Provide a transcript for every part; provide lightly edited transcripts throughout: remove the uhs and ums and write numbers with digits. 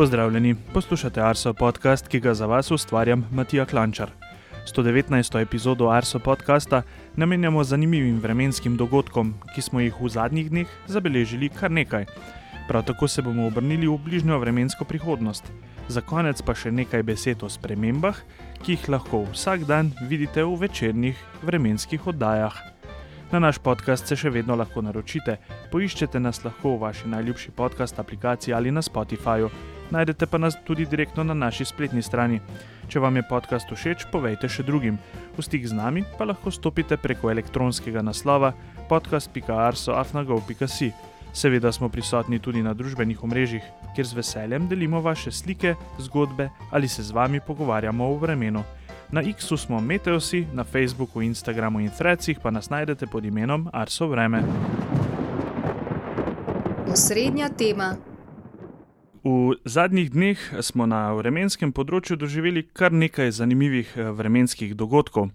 Pozdravljeni, poslušate Arso podcast, ki ga za vas ustvarjam Matija Klančar. 119. epizodo Arso podcasta namenjamo zanimivim vremenskim dogodkom, ki smo jih v zadnjih dneh zabeležili kar nekaj. Prav tako se bomo obrnili v bližnjo vremensko prihodnost. Za konec pa še nekaj besed o spremembah, ki jih lahko vsak dan vidite v večernih vremenskih oddajah. Na naš podcast se še vedno lahko naročite, poiščete nas lahko v vaši najljubši podcast aplikaciji ali na Spotifyju. Najdete pa nas tudi direktno na naši spletni strani. Če vam je podcast všeč, povejte še drugim. V stik z nami pa lahko stopite preko elektronskega naslova podcast.arso@go.si. Seveda smo prisotni tudi na družbenih omrežjih, kjer z veseljem delimo vaše slike, zgodbe ali se z vami pogovarjamo o vremenu. Na X-u smo Meteosi, na Facebooku, Instagramu in Threadsih pa nas najdete pod imenom Arso vreme. Osrednja tema. V zadnjih dneh smo na vremenskem področju doživeli kar nekaj zanimivih vremenskih dogodkov.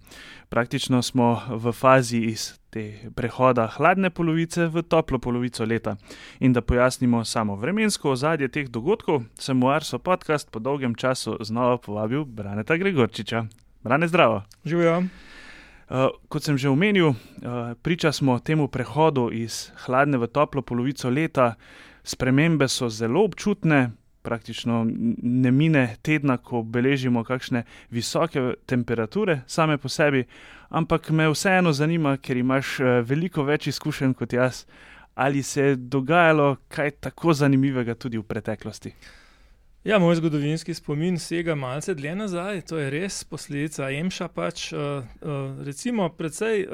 Praktično smo v fazi iz te prehoda hladne polovice v toplo polovico leta. In da pojasnimo samo vremensko ozadje teh dogodkov, sem v Arso podcast po dolgem času znova povabil Braneta Gregorčiča. Brane, zdravo. Živijo. Kot sem že omenil, priča smo temu prehodu iz hladne v toplo polovico leta. Spremembe so zelo občutne, praktično ne mine tedna, ko beležimo kakšne visoke temperature same po sebi, ampak me vseeno zanima, ker imaš veliko več izkušenj kot jaz, ali se je dogajalo kaj tako zanimivega tudi v preteklosti? Ja, moj zgodovinski spomin sega malce dlje nazaj, to je res posledica EMŠA pač. Recimo precej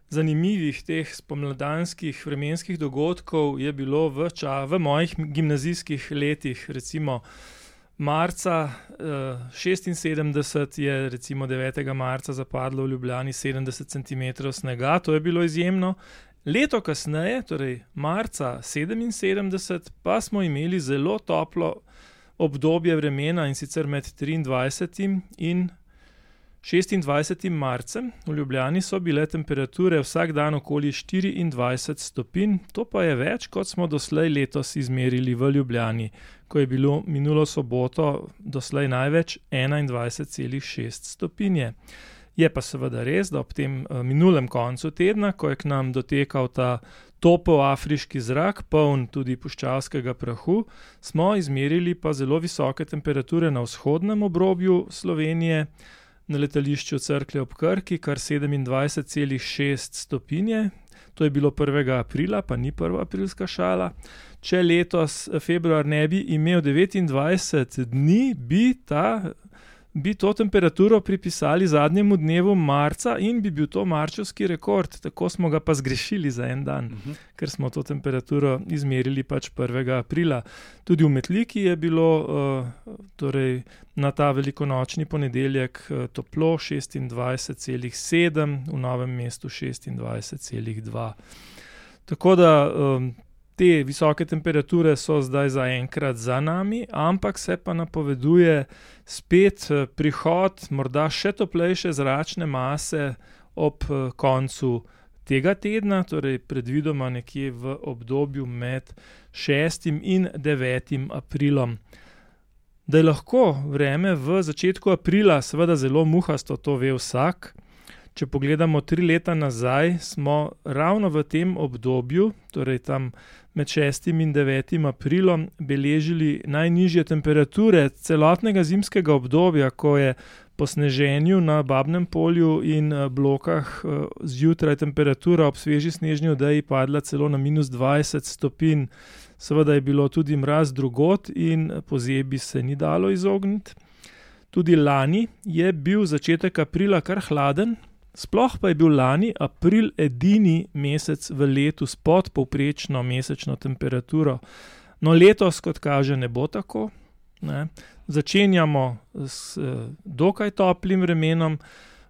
zanimivih teh spomladanskih vremenskih dogodkov je bilo v mojih gimnazijskih letih. Recimo marca 76 je recimo 9. marca zapadlo v Ljubljani 70 cm snega, to je bilo izjemno. Leto kasneje, torej marca 77, pa smo imeli zelo toplo obdobje vremena, in sicer med 23. in 26. marcem. V Ljubljani so bile temperature vsak dan okoli 24 stopinj, to pa je več, kot smo doslej letos izmerili v Ljubljani, ko je bilo minulo soboto doslej največ 21,6 stopinje. Je pa seveda res, da ob tem minulem koncu tedna, ko je k nam dotekal ta topel afriški zrak, poln tudi puščavskega prahu, smo izmerili pa zelo visoke temperature na vzhodnem obrobju Slovenije, na letališču Cerklje ob Krki, kar 27,6 stopinje. To je bilo 1. aprila, pa ni prva aprilska šala. Če letos februar ne bi imel 29 dni, bi to temperaturo pripisali zadnjemu dnevu marca in bi bil to marčevski rekord. Tako smo ga pa zgrešili za en dan, ker smo to temperaturo izmerili pač 1. aprila. Tudi v Metliki je bilo torej na ta velikonočni ponedeljek toplo 26,7, v Novem mestu 26,2. Tako da te visoke temperature so zdaj zaenkrat za nami, ampak se pa napoveduje spet prihod morda še toplejše zračne mase ob koncu tega tedna, torej predvidoma nekje v obdobju med 6. in 9. aprilom. Da je lahko vreme v začetku aprila seveda zelo muhasto, to ve vsak. Če pogledamo 3 leta nazaj, smo ravno v tem obdobju, torej tam med 6. in 9. aprilom, beležili najnižje temperature celotnega zimskega obdobja, ko je po sneženju na Babnem polju in Blokah zjutraj temperatura ob sveži snežni odeji padla celo na -20 stopinj. Seveda je bilo tudi mraz drugod in pozebe se ni dalo izogniti. Tudi lani je bil začetek aprila kar hladen, sploh pa je bil lani april edini mesec v letu s podpovprečno mesečno temperaturo. No, letos, kot kaže, ne bo tako. Začenjamo s dokaj toplim vremenom,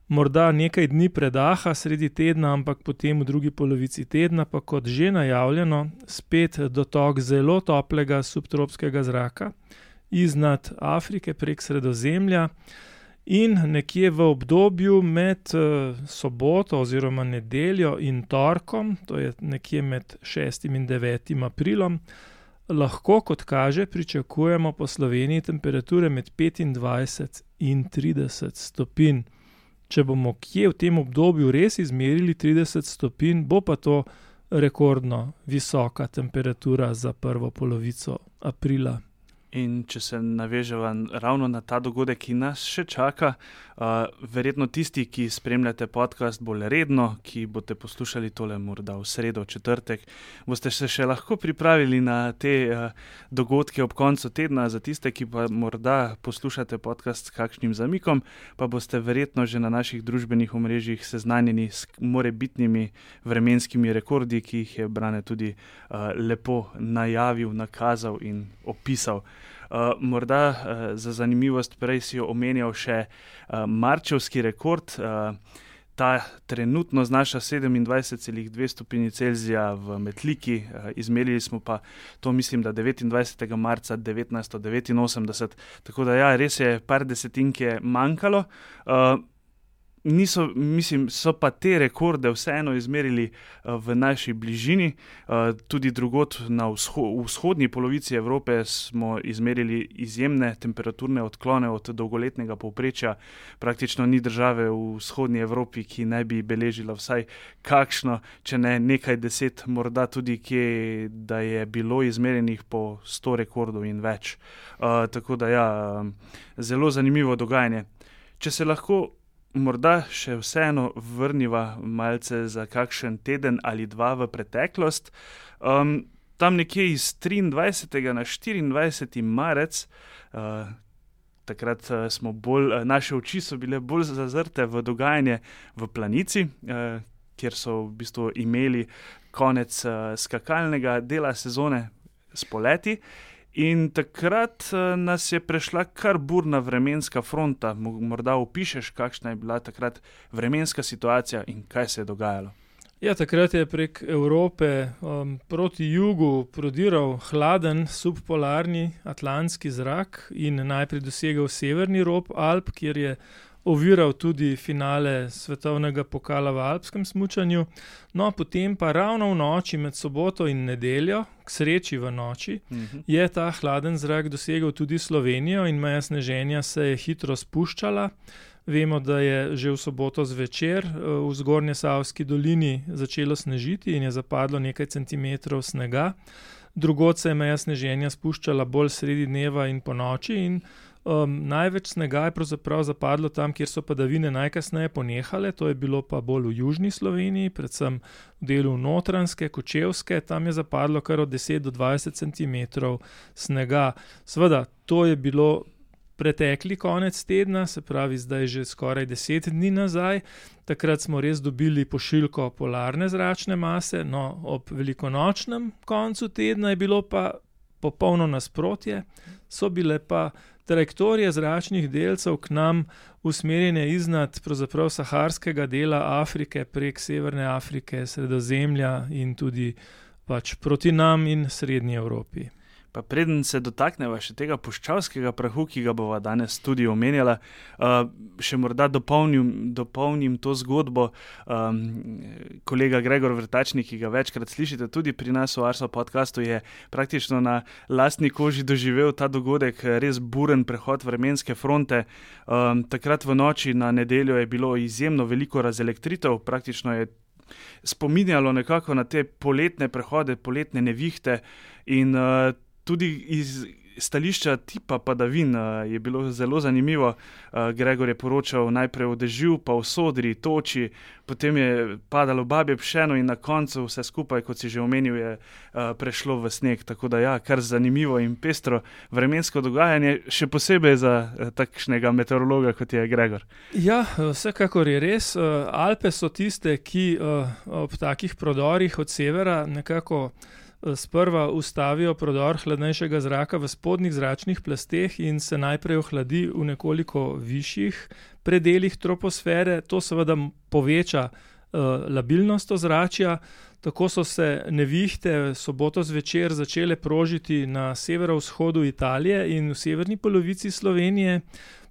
morda nekaj dni predaha sredi tedna, ampak potem v drugi polovici tedna pa, kot že najavljeno, spet dotok zelo toplega subtropskega zraka iznad Afrike prek Sredozemlja. In nekje v obdobju med soboto oziroma nedeljo in torkom, to je nekje med 6. in 9. aprilom, lahko, kot kaže, pričakujemo po Sloveniji temperature med 25 in 30 stopinj. Če bomo kje v tem obdobju res izmerili 30 stopinj, bo pa to rekordno visoka temperatura za prvo polovico aprila. In če se naveževa ravno na ta dogodek, ki nas še čaka, verjetno tisti, ki spremljate podcast bolj redno, ki boste poslušali tole morda v sredo, četrtek, boste se še lahko pripravili na te dogodke ob koncu tedna. Za tiste, ki pa morda poslušate podcast s kakšnim zamikom, pa boste verjetno že na naših družbenih omrežjih seznanjeni s morebitnimi vremenskimi rekordi, ki jih je Brane tudi lepo najavil, nakazal in opisal. Morda za zanimivost, prej si jo omenjal še marčevski rekord. Ta trenutno znaša 27,2 stopinji Celzija v Metliki, izmerili smo pa to, mislim, da 29. marca 1989, tako da ja, res je par desetinke manjkalo. So pa te rekorde vseeno izmerili v naši bližini, tudi drugod na vzhodni polovici Evrope smo izmerili izjemne temperaturne odklone od dolgoletnega povprečja. Praktično ni države v vzhodni Evropi, ki ne bi beležila vsaj kakšno, če ne nekaj deset, morda tudi kje, da je bilo izmerjenih po 100 rekordov in več. Tako da ja, zelo zanimivo dogajanje. Če se lahko morda še vseeno vrniva malce za kakšen teden ali dva v preteklost. Tam nekje iz 23. na 24. marec, takrat naše oči so bile bolj zazrte v dogajanje v Planici, kjer so v bistvu imeli konec skakalnega dela sezone s poleti. In takrat nas je prešla kar burna vremenska fronta. Morda opišeš, kakšna je bila takrat vremenska situacija in kaj se je dogajalo? Ja, takrat je prek Evrope proti jugu prodiral hladen subpolarni atlantski zrak in najprej dosegel severni rob Alp, kjer je oviral tudi finale svetovnega pokala v alpskem smučanju. No, potem pa ravno v noči med soboto in nedeljo, k sreči v noči, je ta hladen zrak dosegel tudi Slovenijo in meja sneženja se je hitro spuščala. Vemo, da je že v soboto zvečer v Zgornjesavski dolini začelo snežiti in je zapadlo nekaj centimetrov snega. Drugod se je meja sneženja spuščala bolj sredi dneva in po noči in največ snega je pravzaprav zapadlo tam, kjer so padavine najkasneje ponehale, to je bilo pa bolj v južni Sloveniji, predvsem v delu Notranjske, Kočevske, tam je zapadlo kar od 10 do 20 centimetrov snega. Seveda, to je bilo pretekli konec tedna, se pravi zdaj že skoraj 10 dni nazaj. Takrat smo res dobili pošiljko polarne zračne mase, no ob velikonočnem koncu tedna je bilo pa popolno nasprotje, so bile pa trajektorije zračnih delcev k nam usmerjene iznad pravzaprav saharskega dela Afrike prek Severne Afrike, Sredozemlja in tudi pač proti nam in Srednji Evropi. Pa preden se dotakneva še tega puščavskega prahu, ki ga bova danes tudi omenjala, še morda dopolnim to zgodbo. Kolega Gregor Vrtačnik, ki ga večkrat slišite tudi pri nas v Arso podcastu, je praktično na lastni koži doživel ta dogodek, res buren prehod vremenske fronte. Takrat v noči na nedeljo je bilo izjemno veliko razelektritev, praktično je spominjalo nekako na te poletne prehode, poletne nevihte in tudi iz stališča tipa padavin je bilo zelo zanimivo. Gregor je poročal najprej o dežju, pa o sodri, toči, potem je padalo babje pšeno in na koncu vse skupaj, kot si že omenil, je prešlo v sneg. Tako da ja, kar zanimivo in pestro vremensko dogajanje, še posebej za takšnega meteorologa, kot je Gregor. Ja, vsekakor je res. Alpe so tiste, ki ob takih prodorih od severa nekako sprva ustavijo prodor hladnejšega zraka v spodnjih zračnih plasteh in se najprej ohladi v nekoliko višjih predelih troposfere. To seveda poveča labilnost ozračja. Tako so se nevihte soboto zvečer začele prožiti na severovzhodu Italije in v severni polovici Slovenije.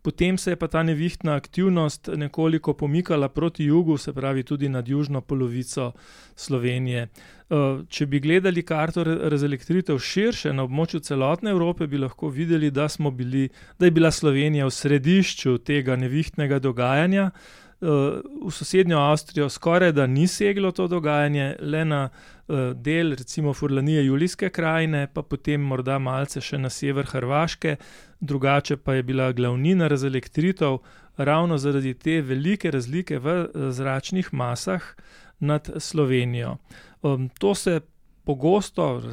Potem se je pa ta nevihtna aktivnost nekoliko pomikala proti jugu, se pravi tudi nad južno polovico Slovenije. Če bi gledali karto razelektritev širše na območju celotne Evrope, bi lahko videli, da je bila Slovenija v središču tega nevihtnega dogajanja. V sosednjo Avstrijo skoraj da ni seglo to dogajanje, le na del recimo Furlanije Julijske krajine, pa potem morda malce še na sever Hrvaške, drugače pa je bila glavnina razelektritev ravno zaradi te velike razlike v zračnih masah nad Slovenijo. To se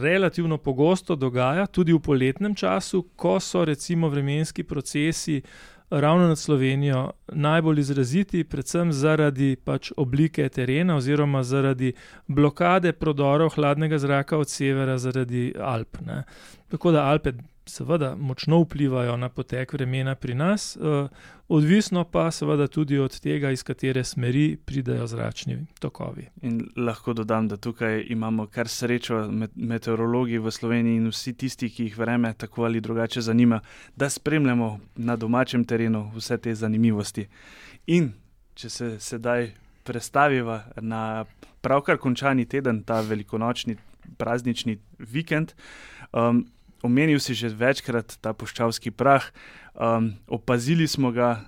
relativno pogosto dogaja tudi v poletnem času, ko so recimo vremenski procesi ravno nad Slovenijo najbolj izraziti, predvsem zaradi pač oblike terena oziroma zaradi blokade prodorov hladnega zraka od severa zaradi Alp, ne. Tako da Alpe seveda močno vplivajo na potek vremena pri nas, odvisno pa seveda tudi od tega, iz katere smeri pridejo zračni tokovi. In lahko dodam, da tukaj imamo kar srečo meteorologi v Sloveniji in vsi tisti, ki jih vreme tako ali drugače zanima, da spremljamo na domačem terenu vse te zanimivosti. In če se sedaj prestaviva na pravkar končani teden, ta velikonočni praznični vikend, omenil si že večkrat ta puščavski prah, opazili smo ga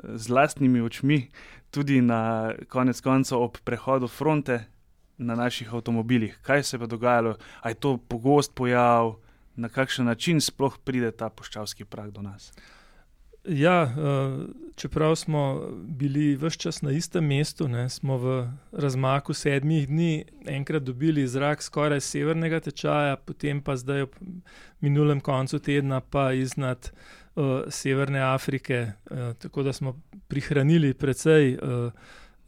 z lastnimi očmi tudi na konec koncev ob prehodu fronte na naših avtomobilih. Kaj se pa dogajalo? A je to pogost pojav? Na kakšen način sploh pride ta puščavski prah do nas? Ja, čeprav smo bili ves čas na istem mestu, ne, smo v razmaku 7 dni enkrat dobili zrak skoraj severnega tečaja, potem pa zdaj ob minulem koncu tedna pa iznad Severne Afrike, tako da smo prihranili precej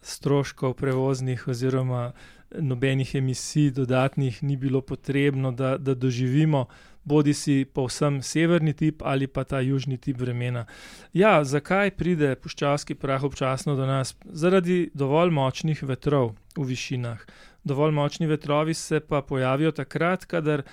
stroškov prevoznih oziroma nobenih emisij dodatnih ni bilo potrebno, da doživimo bodi si povsem severni tip ali pa ta južni tip vremena. Ja, zakaj pride puščavski prah občasno do nas? Zaradi dovolj močnih vetrov v višinah. Dovolj močni vetrovi se pa pojavijo takrat, kadar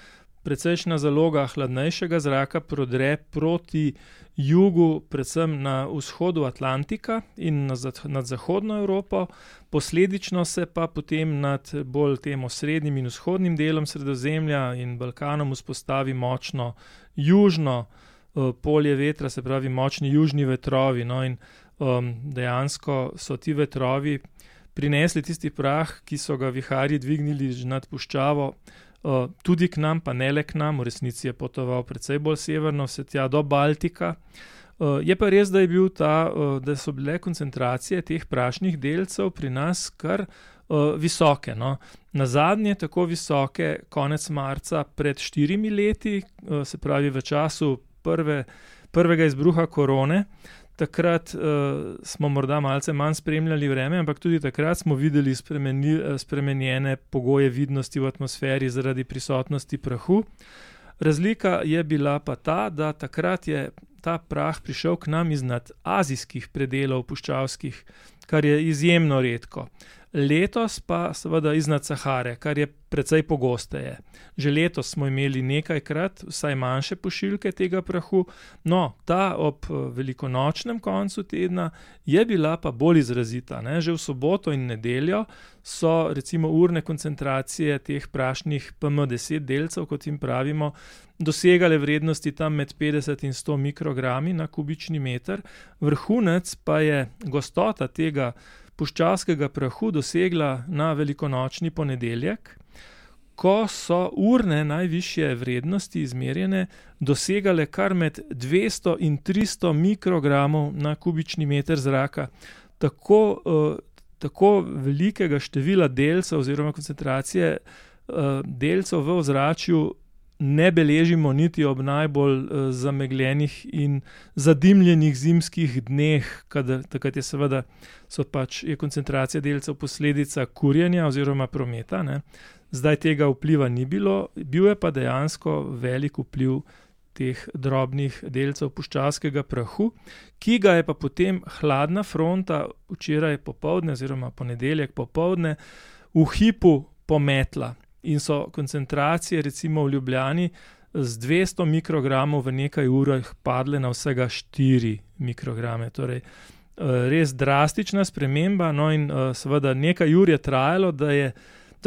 precejšnja zaloga hladnejšega zraka prodre proti jugu, predvsem na vzhodu Atlantika in nad zahodno Evropo, posledično se pa potem nad bolj tem osrednjim in vzhodnim delom Sredozemlja in Balkanom vzpostavi močno južno polje vetra, se pravi močni južni vetrovi. No, in dejansko so ti vetrovi prinesli tisti prah, ki so ga viharji dvignili nad puščavo, tudi k nam, pa ne le k nam, v resnici je potoval precej bolj severno, vse tja do Baltika. Je pa res, da so bile koncentracije teh prašnih delcev pri nas kar visoke. No. Nazadnje tako visoke konec marca pred 4 leti, se pravi v času prvega izbruha korone. Takrat smo morda malce manj spremljali vreme, ampak tudi takrat smo videli spremenjene pogoje vidnosti v atmosferi zaradi prisotnosti prahu. Razlika je bila pa ta, da takrat je ta prah prišel k nam iznad azijskih predelov puščavskih, kar je izjemno redko. Letos pa seveda iznad Sahare, kar je precej pogosteje. Že letos smo imeli nekajkrat vsaj manjše pošiljke tega prahu, no, ta ob velikonočnem koncu tedna je bila pa bolj izrazita. Ne? Že v soboto in nedeljo so recimo urne koncentracije teh prašnih PM10 delcev, kot jim pravimo, dosegale vrednosti tam med 50 in 100 mikrogrami na kubični meter. Vrhunec pa je gostota tega puščavskega prahu dosegla na velikonočni ponedeljek, ko so urne najvišje vrednosti izmerjene dosegale kar med 200 in 300 mikrogramov na kubični meter zraka. Tako velikega števila delcev oziroma koncentracije delcev v ozračju ne beležimo niti ob najbolj zamegljenih in zadimljenih zimskih dneh, takrat je koncentracija delcev posledica kurjenja oziroma prometa. Ne. Zdaj tega vpliva ni bilo, bil je pa dejansko velik vpliv teh drobnih delcev puščavskega prahu, ki ga je pa potem hladna fronta včeraj popoldne oziroma ponedeljek popoldne v hipu pometla. In so koncentracije recimo v Ljubljani z 200 mikrogramov v nekaj urah padle na vsega 4 mikrograme. Torej, res drastična sprememba, no in seveda nekaj ur je trajalo, da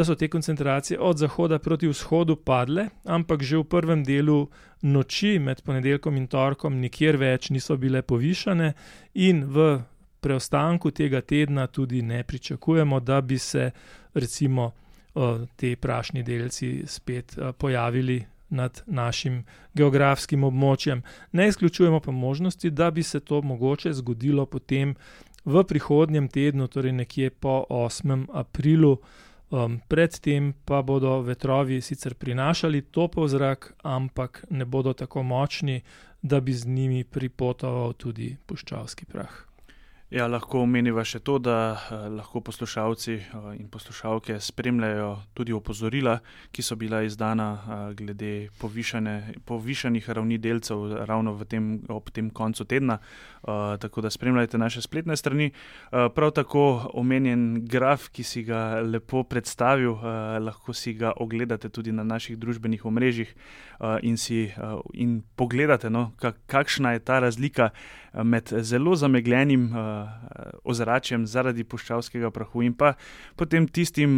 so te koncentracije od zahoda proti vzhodu padle, ampak že v prvem delu noči med ponedeljkom in torkom nikjer več niso bile povišane in v preostanku tega tedna tudi ne pričakujemo, da bi se recimo te prašni delci spet pojavili nad našim geografskim območjem. Ne izključujemo pa možnosti, da bi se to mogoče zgodilo potem v prihodnjem tednu, torej nekje po 8. aprilu. Predtem pa bodo vetrovi sicer prinašali topel zrak, ampak ne bodo tako močni, da bi z njimi pripotoval tudi puščavski prah. Ja, lahko omeniva še to, da lahko poslušalci in poslušalke spremljajo tudi opozorila, ki so bila izdana glede povišanih ravni delcev ravno ob tem koncu tedna, tako da spremljajte naše spletne strani. Prav tako omenjen graf, ki si ga lepo predstavil, lahko si ga ogledate tudi na naših družbenih omrežjih in pogledate, kakšna je ta razlika med zelo zamegljenim ozračjem zaradi puščavskega prahu in pa potem tistim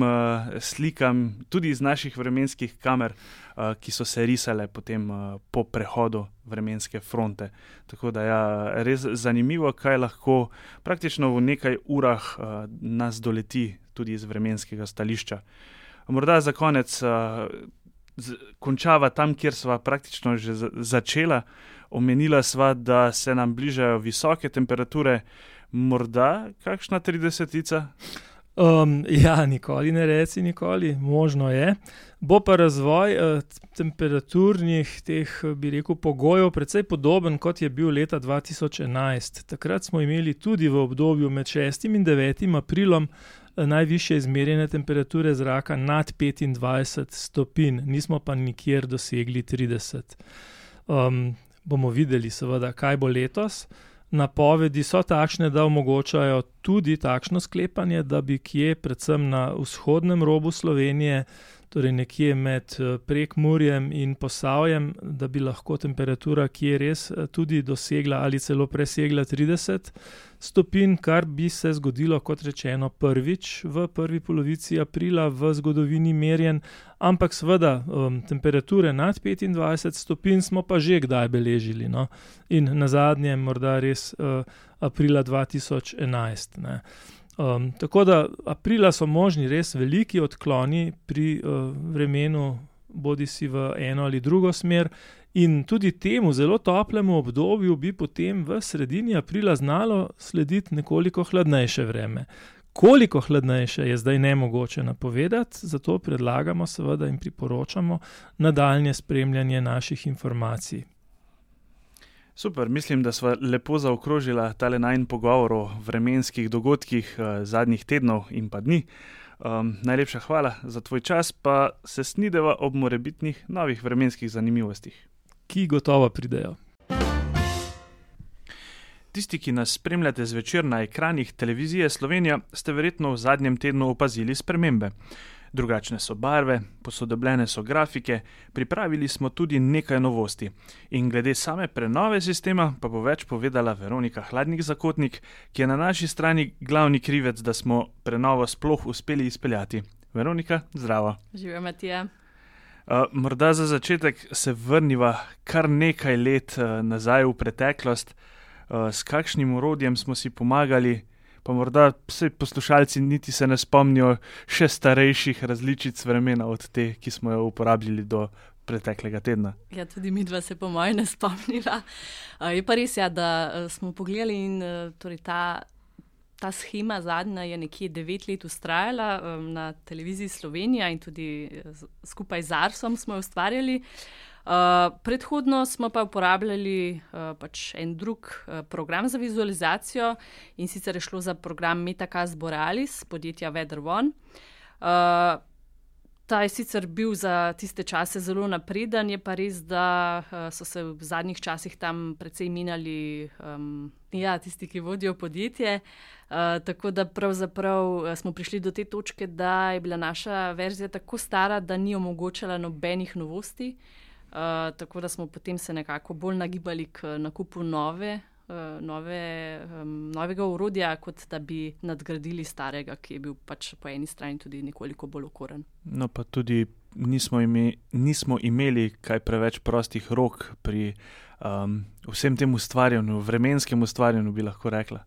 slikam tudi iz naših vremenskih kamer, ki so se risale potem po prehodu vremenske fronte. Tako da res zanimivo, kaj lahko praktično v nekaj urah nas doleti tudi iz vremenskega stališča. Morda za konec končava tam, kjer sva praktično že začela. Omenila sva, da se nam bližajo visoke temperature, morda kakšna 30-ica? Ja, nikoli ne reci nikoli, možno je. Bo pa razvoj temperaturnih teh, bi rekel, pogojev precej podoben, kot je bil leta 2011. Takrat smo imeli tudi v obdobju med 6. in 9. aprilom najvišje izmerjene temperature zraka nad 25 stopinj, nismo pa nikjer dosegli 30. Bomo videli seveda, kaj bo letos. Napovedi so takšne, da omogočajo tudi takšno sklepanje, da bi kje, predvsem na vzhodnem robu Slovenije, torej nekje med Prekmurjem in Posavjem, da bi lahko temperatura kje res tudi dosegla ali celo presegla 30 stopinj, kar bi se zgodilo, kot rečeno, prvič v prvi polovici aprila v zgodovini merjen, ampak seveda temperature nad 25 stopinj smo pa že kdaj beležili, no? In nazadnje morda res aprila 2011, ne. Tako da aprila so možni res veliki odkloni pri vremenu, bodisi v eno ali drugo smer, in tudi temu zelo toplemu obdobju bi potem v sredini aprila znalo slediti nekoliko hladnejše vreme. Koliko hladnejše je zdaj nemogoče napovedati, zato predlagamo seveda in priporočamo nadaljnje spremljanje naših informacij. Super, mislim, da sva lepo zaokrožila tale najin pogovor o vremenskih dogodkih zadnjih tednov in pa dni. Najlepša hvala za tvoj čas, pa se snideva ob morebitnih novih vremenskih zanimivostih. Ki gotovo pridejo. Tisti, ki nas spremljate zvečer na ekranih televizije Slovenija, ste verjetno v zadnjem tednu opazili spremembe. Drugačne so barve, posodobljene so grafike, pripravili smo tudi nekaj novosti. In glede same prenove sistema pa bo več povedala Veronika Hladnik-Zakotnik, ki je na naši strani glavni krivec, da smo prenovo sploh uspeli izpeljati. Veronika, zdravo. Živijo, Matija. Morda za začetek se vrniva kar nekaj let nazaj v preteklost. S kakšnim orodjem smo si pomagali, pa morda vsi poslušalci niti se ne spomnijo še starejših različic vremena od te, ki smo jo uporabljali do preteklega tedna. Ja, tudi midva se po moje ne spomnila. Je pa res, da smo pogledali in torej ta shema zadnja je nekje 9 let vztrajala na televiziji Slovenija in tudi skupaj z Arsom smo jo ustvarjali. Predhodno smo pa uporabljali en drug program za vizualizacijo, in sicer je šlo za program Metacast Borealis podjetja Weather1. Ta je sicer bil za tiste čase zelo napreden, je pa res, da so se v zadnjih časih tam precej menjali tisti, ki vodijo podjetje. Tako da pravzaprav smo prišli do te točke, da je bila naša verzija tako stara, da ni omogočala nobenih novosti. tako da smo potem se nekako bolj nagibali k nakupu novega orodja, kot da bi nadgradili starega, ki je bil pač po eni strani tudi nekoliko bolj okoren. No, pa tudi nismo imeli kaj preveč prostih rok pri vsem tem ustvarjanju, vremenskem ustvarjanju, bi lahko rekla.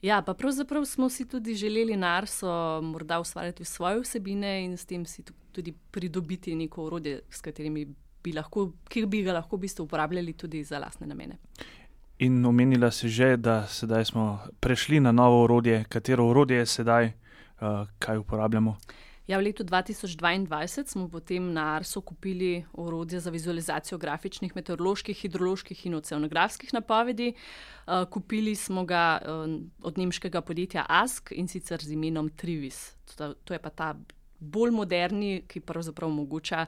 Ja, pa pravzaprav smo si tudi želeli na Arso morda ustvarjati svoje vsebine in s tem si tudi pridobiti neko orodje, s katerimi ki bi ga lahko v bistvu uporabljali tudi za lastne namene. In omenila si že, da sedaj smo prešli na novo orodje. Katero orodje je sedaj, kaj uporabljamo? Ja, v letu 2022 smo potem na Arso kupili orodje za vizualizacijo grafičnih, meteoroloških, hidroloških in oceanografskih napovedi. Kupili smo ga od nemškega podjetja ASK in sicer z imenom Trivis. To je pa ta bolj moderni, ki pravzaprav omogoča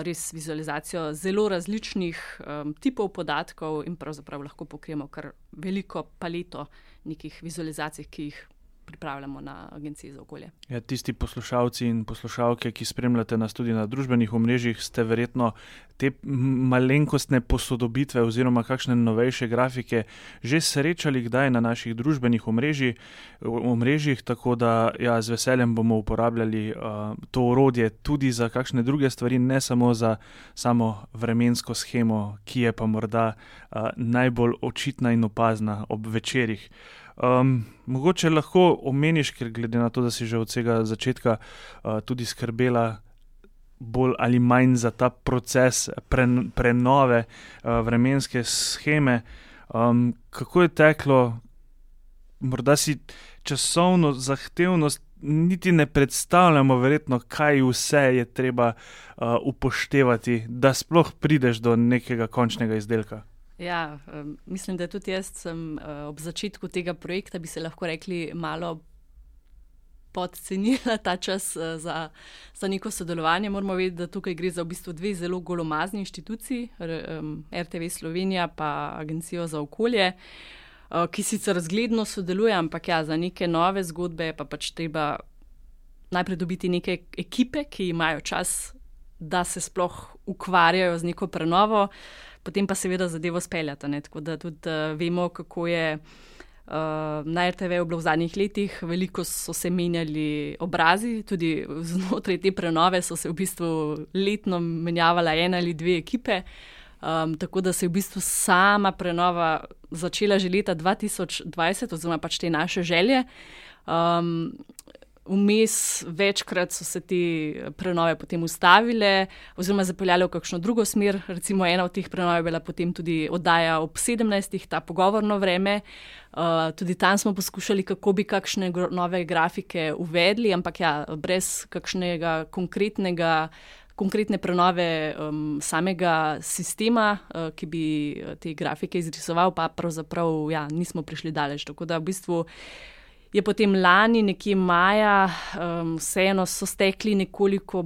res vizualizacijo zelo različnih tipov podatkov in pravzaprav lahko pokrijemo kar veliko paleto nekih vizualizacij, ki jih pripravljamo na Agenciji za okolje. Ja, tisti poslušalci in poslušalke, ki spremljate nas tudi na družbenih omrežjih, ste verjetno te malenkostne posodobitve oziroma kakšne novejše grafike že srečali kdaj na naših družbenih omrežjih, tako da ja, z veseljem bomo uporabljali to orodje tudi za kakšne druge stvari, ne samo za samo vremensko shemo, ki je pa morda najbolj očitna in opazna ob večerih. Mogoče lahko omeniš, ker glede na to, da si že od vsega začetka tudi skrbela bolj ali manj za ta proces prenove vremenske sheme, kako je teklo, morda si časovno zahtevnost niti ne predstavljamo verjetno, kaj vse je treba upoštevati, da sploh prideš do nekega končnega izdelka. Ja, mislim, da tudi jaz sem ob začetku tega projekta, bi se lahko rekli, malo podcenila ta čas za neko sodelovanje. Moramo vedeti, da tukaj gre za v bistvu dve zelo golomazni inštituciji, RTV Slovenija pa Agencijo za okolje, ki sicer zgledno sodeluje, ampak ja, za neke nove zgodbe pa pač treba najprej dobiti neke ekipe, ki imajo čas, da se sploh ukvarjajo z neko prenovo, potem pa seveda zadevo speljata, ne? Tako da tudi vemo, kako je na RTV bilo v zadnjih letih, veliko so se menjali obrazi, tudi znotraj te prenove so se v bistvu letno menjavala ena ali dve ekipe, tako da se je v bistvu sama prenova začela že leta 2020, oziroma pač te naše želje. Vmes večkrat so se te prenove potem ustavile oziroma zapeljale v kakšno drugo smer. Recimo ena od teh prenov je bila potem tudi oddaja ob 17, ta pogovorno vreme. Tudi tam smo poskušali, kako bi kakšne nove grafike uvedli, ampak ja, brez kakšnega konkretne prenove samega sistema, ki bi te grafike izrisoval, pa pravzaprav ja, nismo prišli daleč. Tako da v bistvu je potem lani, nekje maja, vseeno so stekli nekoliko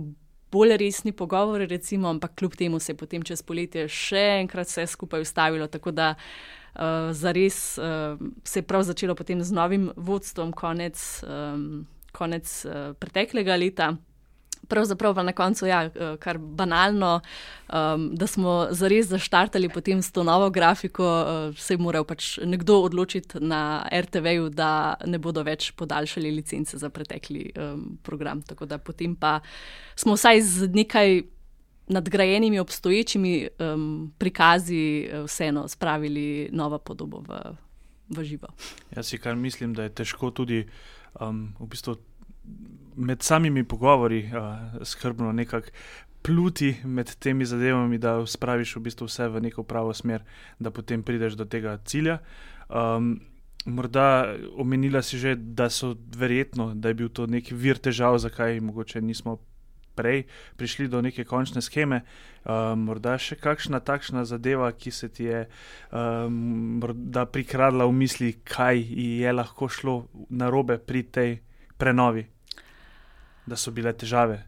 bolj resni pogovori, recimo, ampak kljub temu se je potem čez poletje še enkrat vse skupaj ustavilo, tako da zares se je prav začelo potem z novim vodstvom konec preteklega leta. Pravzaprav pa na koncu, ja, kar banalno, da smo zares zaštartali potem s to novo grafiko, se je moral pač nekdo odločiti na RTV-ju, da ne bodo več podaljšali licence za pretekli program. Tako da potem pa smo vsaj z nekaj nadgrajenimi obstoječimi prikazi vseeno spravili novo podobo v živo. Jaz si kar mislim, da je težko tudi v bistvu med samimi pogovori skrbno nekako pluti med temi zadevami, da spraviš v bistvu vse v neko pravo smer, da potem prideš do tega cilja. Morda omenila si že, da je bil to neki vir težav, zakaj mogoče nismo prej prišli do neke končne sheme. Morda še kakšna takšna zadeva, ki se ti je morda prikradla v misli, kaj je lahko šlo narobe pri tej prenovi, da so bile težave?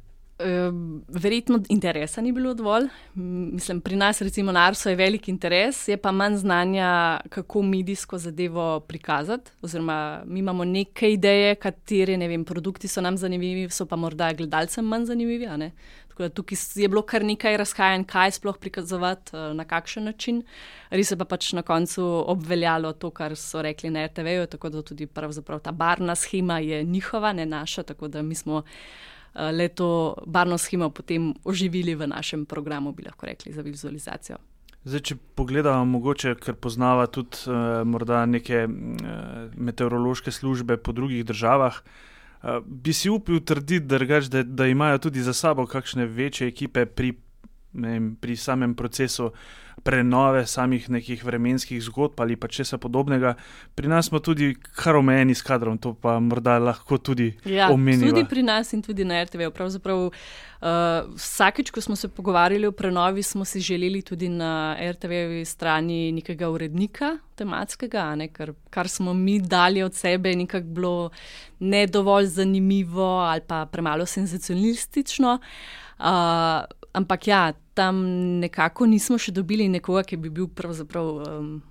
Verjetno interesa ni bilo dovolj. Mislim, pri nas recimo na Arso je velik interes, je pa manj znanja, kako medijsko zadevo prikazati. Oziroma, mi imamo neke ideje, katere, ne vem, produkti so nam zanimivi, so pa morda gledalcem manj zanimivi, a ne. Tako da tukaj je bilo kar nekaj razhajanj, kaj sploh prikazovati, na kakšen način. Res je pa pač na koncu obveljalo to, kar so rekli na RTV-ju, tako da tudi pravzaprav ta barvna shema je njihova, ne naša, tako da mi smo leto barvno shemo potem oživili v našem programu, bi lahko rekli, za vizualizacijo. Zdaj, če pogledamo mogoče, ker poznava tudi morda neke meteorološke službe po drugih državah, bi si upil trditi, da imajo tudi za sabo kakšne večje ekipe pri samem procesu prenove samih nekih vremenskih zgodb ali pa česa podobnega. Pri nas smo tudi kar omejeni s kadrom, to pa morda lahko tudi omeniva. Tudi pri nas in tudi na RTV. Pravzaprav vsakič, ko smo se pogovarjali o prenovi, smo si želeli tudi na RTV-jevi strani nekega urednika tematskega, ne, kar smo mi dali od sebe, nekako bilo ne dovolj zanimivo ali pa premalo senzacionalistično. Ampak ja, tam nekako nismo še dobili nekoga, ki bi bil pravzaprav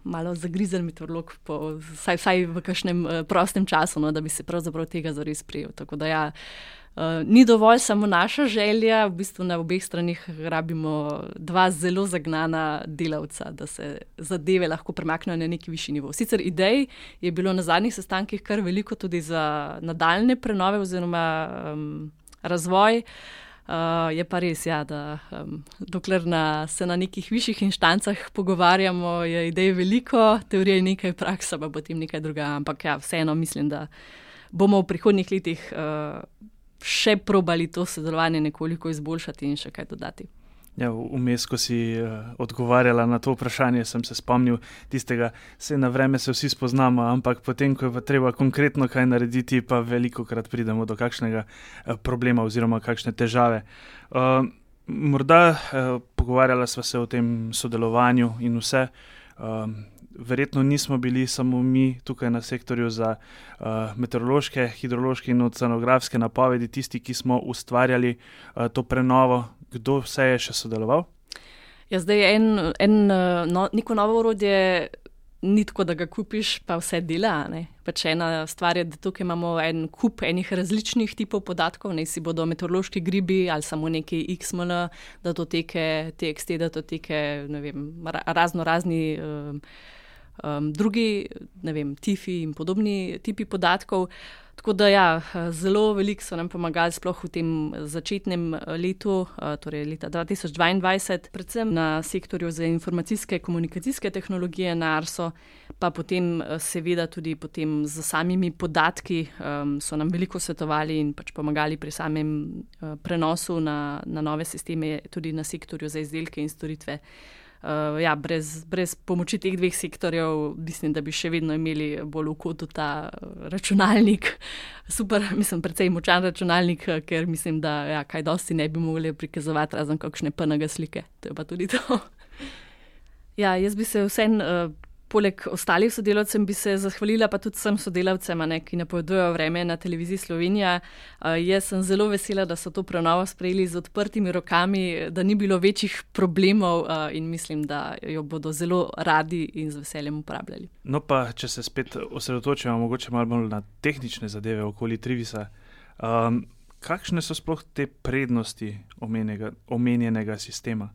malo zagrizen meteorolog, vsaj v kakšnem prostem času, no, da bi se pravzaprav tega zares prijel. Tako da ja, ni dovolj samo naša želja, v bistvu na obeh stranih rabimo dva zelo zagnana delavca, da se zadeve lahko premaknejo na neki višji nivo. Sicer idej je bilo na zadnjih sestankih kar veliko tudi za nadaljne prenove oziroma razvoj. Je pa res, ja, da dokler se na nekih višjih inštancah pogovarjamo, je idej veliko, teorije nekaj, praksa pa potem nekaj druga. Ampak ja, vseeno mislim, da bomo v prihodnjih letih še probali to sodelovanje nekoliko izboljšati in še kaj dodati. Ja, vmes, ko si odgovarjala na to vprašanje, sem se spomnil tistega, na vreme se vsi spoznamo, ampak potem, ko je pa treba konkretno kaj narediti, pa velikokrat pridemo do kakšnega problema oziroma kakšne težave. Morda pogovarjala sva se o tem sodelovanju in vse. Verjetno nismo bili samo mi tukaj na sektorju za meteorološke, hidrološke in oceanografske napovedi tisti, ki smo ustvarjali to prenovo. Kdo vse je še sodeloval? Ja, zdaj neko novo orodje ni tako, da ga kupiš, pa vse dela. Ne? Pač ena stvar je, da tukaj imamo en kup enih različnih tipov podatkov, ne si bodo meteorološki gribi ali samo neki XML datoteke, TXT datoteke, ne vem, razni drugi, ne vem, TIFI in podobni tipi podatkov. Tako da ja, zelo veliko so nam pomagali sploh v tem začetnem letu, torej leta 2022, predvsem na sektorju za informacijske komunikacijske tehnologije na Arso, pa potem seveda tudi potem z samimi podatki so nam veliko svetovali in pač pomagali pri samem prenosu na nove sisteme, tudi na sektorju za izdelke in storitve. Ja, brez pomoči teh dveh sektorjev mislim, da bi še vedno imeli bolj v kotu ta računalnik. Super, mislim, precej močan računalnik, ker mislim, da ja, kaj dosti ne bi mogli prikazovati razen kakšne PNG slike. To je pa tudi to. Ja, jaz bi se vseeno poleg ostalih sodelavcem bi se zahvalila pa tudi vsem sodelavcem, ki napovedujejo vreme na Televiziji Slovenija. Jaz sem zelo vesela, da so to prenovo sprejeli z odprtimi rokami, da ni bilo večjih problemov in mislim, da jo bodo zelo radi in z veseljem uporabljali. No pa, če se spet osredotočimo mogoče malo bolj na tehnične zadeve okoli Trivisa, kakšne so sploh te prednosti omenjenega sistema?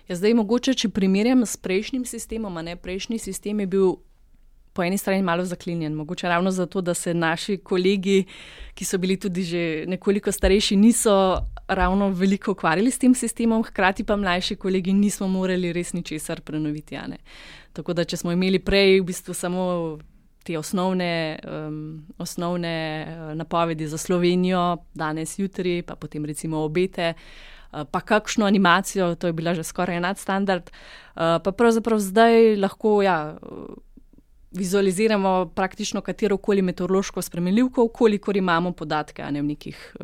Ja, zdaj mogoče, če primerjam s prejšnjim sistemom, prejšnji sistem je bil po eni strani malo zaklinjen. Mogoče ravno zato, da se naši kolegi, ki so bili tudi že nekoliko starejši, niso ravno veliko ukvarjali s tem sistemom, hkrati pa mlajši kolegi nismo morali res ničesar prenoviti. Tako da, če smo imeli prej v bistvu samo te osnovne napovedi za Slovenijo, danes, jutri, pa potem recimo obete, pa kakšno animacijo, to je bila že skoraj nadstandard, pa pravzaprav zdaj lahko vizualiziramo praktično katerokoli meteorološko spremenljivko, kolikor imamo podatke v nekih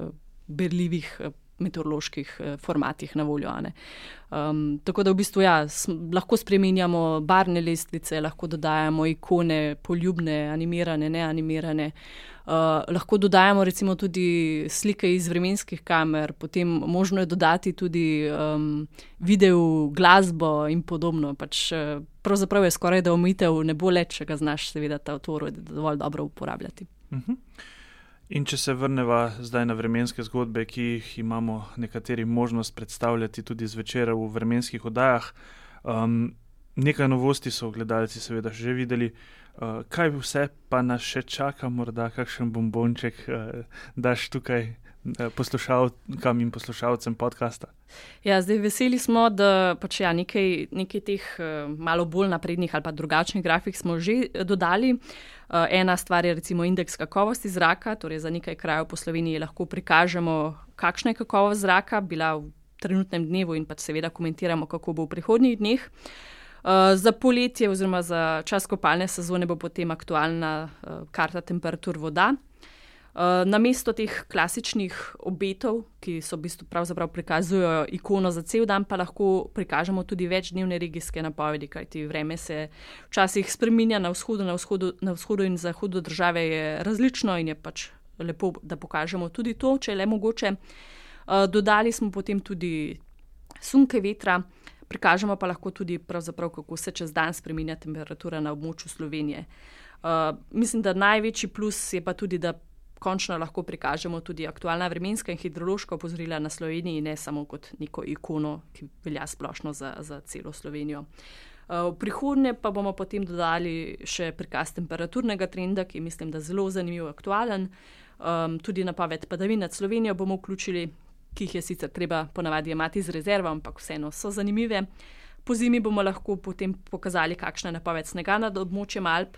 berljivih meteoroloških formatih na voljo. Tako da v bistvu lahko spreminjamo barvne lestvice, lahko dodajamo ikone, poljubne, animirane, neanimirane. Lahko dodajamo recimo tudi slike iz vremenskih kamer, potem možno je dodati tudi video, glasbo in podobno. Pravzaprav je skoraj da omejitev ne bo le, če ga znaš seveda ta orodje dovolj dobro uporabljati. In če se vrneva zdaj na vremenske zgodbe, ki jih imamo nekateri možnost predstavljati tudi zvečer v vremenskih oddajah, nekaj novosti so gledalci seveda že videli. Kaj vse pa nas še čaka, morda kakšen bombonček daš tukaj poslušalkam in poslušalcem podcasta? Ja, zdaj veseli smo, da nekaj teh malo bolj naprednih ali pa drugačnih grafik smo že dodali. Ena stvar je recimo indeks kakovosti zraka, torej za nekaj krajev po Sloveniji lahko prikažemo, kakšna je kakovost zraka bila v trenutnem dnevu in seveda komentiramo, kako bo v prihodnjih dneh. Za poletje oziroma za čas kopalne sezone bo potem aktualna karta temperatur voda. Namesto teh klasičnih obetov, ki so v bistvu pravzaprav prikazujejo ikono za cel dan, pa lahko prikažemo tudi večdnevne regijske napovedi, kajti vreme se včasih spreminja na vzhodu in zahodu države je različno in je lepo, da pokažemo tudi to, če je le mogoče. Dodali smo potem tudi sunke vetra, prikažemo pa lahko tudi pravzaprav, kako se čez dan spreminja temperatura na območju Slovenije. Mislim, da največji plus je pa tudi, da končno lahko prikažemo tudi aktualna vremenska in hidrološka opozorila na Sloveniji, ne samo kot neko ikono, ki velja splošno za celo Slovenijo. V prihodnje pa bomo potem dodali še prikaz temperaturnega trenda, ki mislim, da zelo zanimiv, aktualen. Tudi napoved padavin nad Slovenijo bomo vključili, ki jih je sicer treba ponavadi jemati z rezervo, ampak vseeno so zanimive. Po zimi bomo lahko potem pokazali, kakšna je napoved snega nad območjem Alp,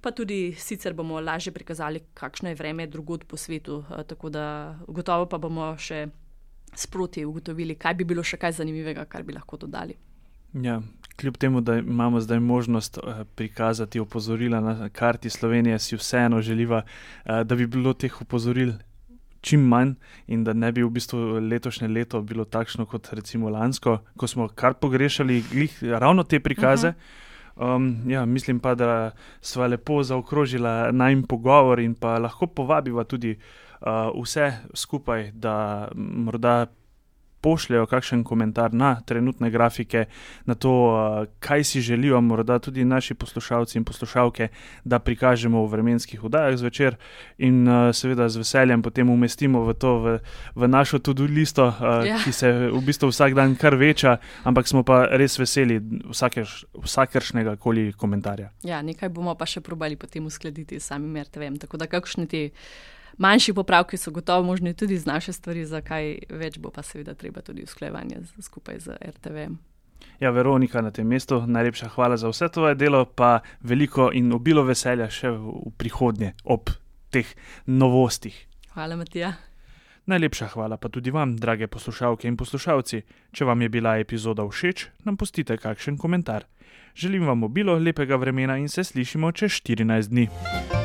pa tudi sicer bomo lažje prikazali, kakšno je vreme drugod po svetu, tako da gotovo pa bomo še sproti ugotovili, kaj bi bilo še kaj zanimivega, kar bi lahko dodali. Ja, kljub temu, da imamo zdaj možnost prikazati opozorila na karti Slovenije, si vseeno želiva, da bi bilo teh opozoril čim manj in da ne bi v bistvu letošnje leto bilo takšno kot recimo lansko, ko smo kar pogrešali ravno te prikaze. Mislim pa, da sva lepo zaokrožila najin pogovor in pa lahko povabiva tudi vse skupaj, da morda pošljajo kakšen komentar na trenutne grafike, na to, kaj si želijo morda tudi naši poslušalci in poslušalke, da prikažemo v vremenskih oddajah zvečer in seveda z veseljem potem umestimo v našo to-do listo, ki se v bistvu vsak dan kar veča, ampak smo pa res veseli vsakršnega koli komentarja. Ja, nekaj bomo pa še probali potem uskladiti s samim RTV-em, tako da kakšne te manjši popravki so gotovo možni tudi z naše stvari, za kaj več bo pa seveda treba tudi usklajevanje skupaj z RTV-em. Ja, Veronika, na tem mestu najlepša hvala za vse tvoje delo, pa veliko in obilo veselja še v prihodnje ob teh novostih. Hvala, Matija. Najlepša hvala pa tudi vam, drage poslušalke in poslušalci. Če vam je bila epizoda všeč, nam pustite kakšen komentar. Želim vam obilo lepega vremena in se slišimo čez 14 dni.